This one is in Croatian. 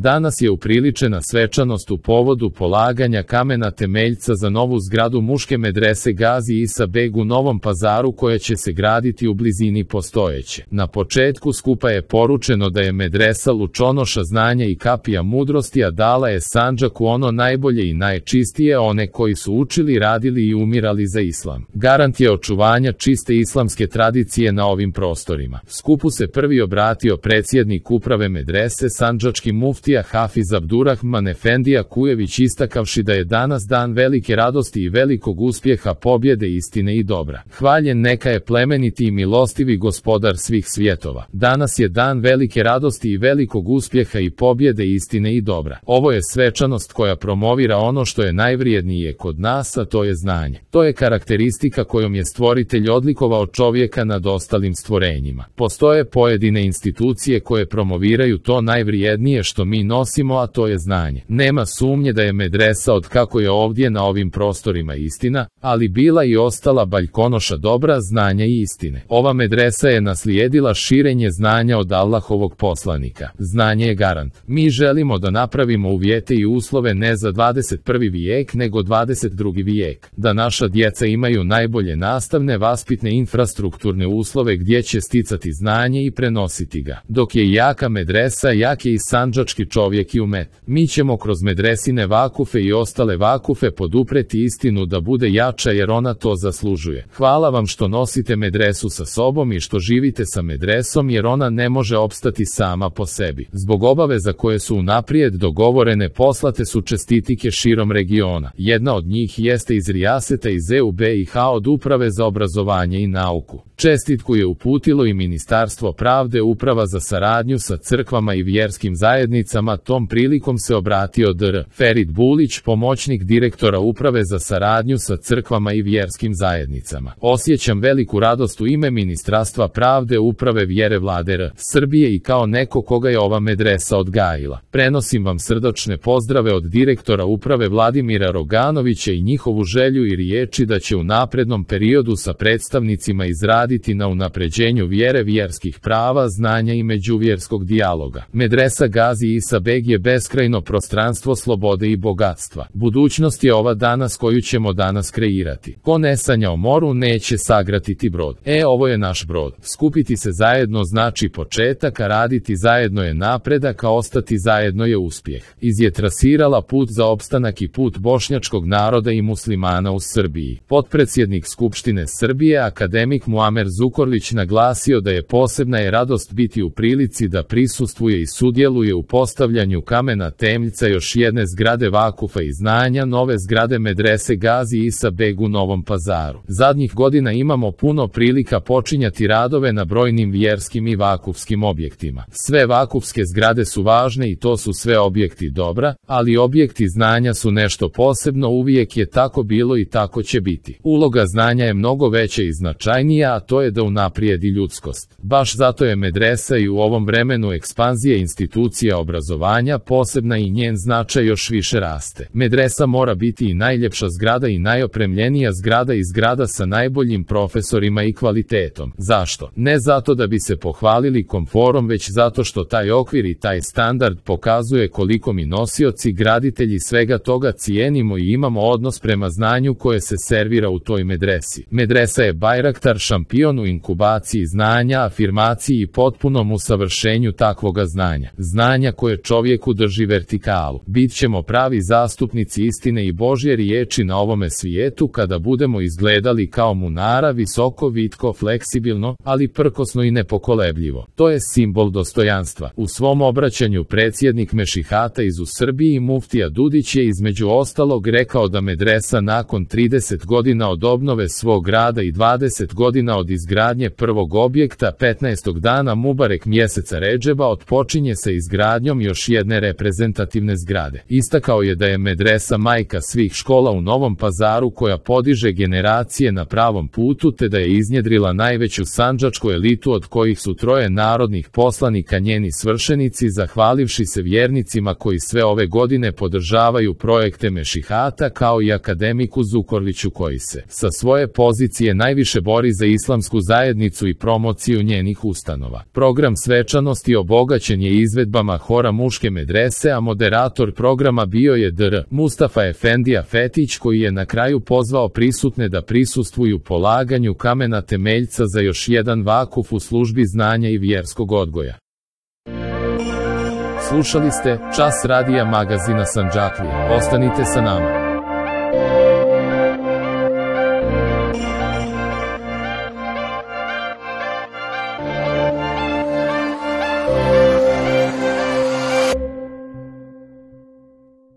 Danas je upriličena svečanost u povodu polaganja kamena temeljca za novu zgradu muške medrese Gazi Isa Beg u Novom Pazaru koja će se graditi u blizini postojeće. Na početku skupa je poručeno da je medresa lučonoša znanja i kapija mudrosti, a dala je Sandžaku ono najbolje i najčistije, one koji su učili, radili i umirali za islam. Garant je očuvanja čiste islamske tradicije na ovim prostorima. Skupu se prvi obratio predsjednik uprave medrese sandžački muftija Hafiz Abdurrahman Efendija Kujević, istakavši da je danas dan velike radosti i velikog uspjeha, pobjede, istine i dobra. Hvaljen neka je plemeniti i milostivi gospodar svih svjetova. Danas je dan velike radosti i velikog uspjeha i pobjede, istine i dobra. Ovo je svečanost koja promovira ono što je najvrijednije kod nas, a to je znanje. To je karakteristika kojom je stvoritelj odlikovao čovjeka nad ostalim stvorenjima. Postoje pojedine institucije koje promoviraju to najvrijednije što mi nosimo, a to je znanje. Nema sumnje da je medresa od kako je ovdje na ovim prostorima istina, ali bila i ostala baljkonoša dobra, znanja i istine. Ova medresa je naslijedila širenje znanja od Allahovog poslanika. Znanje je garant. Mi želimo da napravimo uvjete i uslove ne za 21. vijek nego 22. vijek. Da naša djeca imaju najbolje nastavne, vaspitne, infrastrukturne uslove gdje će sticati znanje i prenositi ga. Dok je jaka medresa, jak je i sandžački čovjek i umet. Mi ćemo kroz medresine vakufe i ostale vakufe podupreti istinu da bude jača, jer ona to zaslužuje. Hvala vam što nosite medresu sa sobom i što živite sa medresom, jer ona ne može opstati sama po sebi. Zbog obaveza koje su unaprijed dogovorene poslate su čestitike širom regiona. Jedna od njih jeste iz Rijaseta iz EUBIH od Uprave za obrazovanje i nauku. Čestitku je uputilo i Ministarstvo pravde, Uprava za saradnju sa crkvama i vjerskim zajednicama. Tom prilikom se obratio dr. Ferit Bulić, pomoćnik direktora Uprave za saradnju sa crkvama i vjerskim zajednicama. Osjećam veliku radost u ime Ministarstva pravde, Uprave vjere Vlade R. Srbije i kao neko koga je ova medresa odgajila. Prenosim vam srdačne pozdrave od direktora Uprave Vladimira Roganovića i njihovu želju i riječi da će u naprednom periodu sa predstavnicima izraditi na unapređenju vjere, vjerskih prava, znanja i međuvjerskog dijaloga. Medresa Gazi Isa Beg je beskrajno prostranstvo slobode i bogatstva. Budućnost je ova danas koju ćemo danas kreirati. Ko ne sanja o moru, neće sagratiti brod. Ovo je naš brod. Skupiti se zajedno znači početak, a raditi zajedno je napredak, a ostati zajedno je uspjeh. Je trasirala put za opstanak i put bošnjačkog naroda i muslimana u Srbiji. Potpredsjednik Skupštine Srbije, akademik Muamer Zukorlić, naglasio da je posebna je radost biti u prilici da prisustvuje i sudjeluje u postavljanju kamena temeljca još jedne zgrade vakufa i znanja, nove zgrade medrese Gazi Isa Beg u Novom Pazaru. Zadnjih godina imamo puno prilika počinjati radove na brojnim vjerskim i vakufskim objektima. Sve vakufske zgrade su važne i to su sve objekti dobra, ali objekti znanja su nešto posebno, uvijek je tako bilo i tako će biti. Uloga znanja je mnogo veća i značajnija, a to je da unaprijedi ljudskost. Baš zato je medresa i u ovom vremenu ekspanzije institucija obrazovanja posebna i njen značaj još više raste. Medresa mora biti i najljepša zgrada i najopremljenija zgrada i zgrada sa najboljim profesorima i kvalitetom. Zašto? Ne zato da bi se pohvalili komforom, već zato što taj okvir i taj standard pokazuje koliko mi nosioci, graditelji svega toga cijenimo i imamo odnos prema znanju koje se servira u toj medresi. Medresa je bajraktar, šampion u inkubaciji znanja, afirmaciji i potpunom usavršenju takvoga znanja. Znanja koje čovjeku drži vertikalu. Bit ćemo pravi zastupnici istine i Božje riječi na ovome svijetu kada budemo izgledali kao munara, visoko, vitko, fleksibilno, ali prkosno i nepokolebljivo. To je simbol dostojanstva. U svom obraćanju predsjednik Mešihata iz u Srbiji muftija Dudić je između ostalog rekao da medresa nakon 30 godina od obnove svog grada i 20 godina od izgradnje prvog objekta 15. dana Mubarek mjeseca Redžeba otpočinje sa izgradnjom još jedne reprezentativne zgrade. Istakao je da je medresa majka svih škola u Novom Pazaru koja podiže generacije na pravom putu, te da je iznjedrila najveću sandžačku elitu od kojih su 3 narodnih poslanika njeni svršenici, zahvalivši se vjernicima koji sve ove godine podržavaju projekte Mešihata, kao i akademiku Zukorliću koji se sa svoje pozicije najviše bori za islamsku zajednicu i promociju njenih ustanova. Program svečanosti obogaćen je izvedbama hora direktora muške medrese, a moderator programa bio je dr. Mustafa Efendija Fetić, koji je na kraju pozvao prisutne da prisustvuju polaganju kamena temeljca za još jedan vakuf u službi znanja i vjerskog odgoja. Slušali ste Čas radija magazina Sandžaklije. Ostanite sa nama.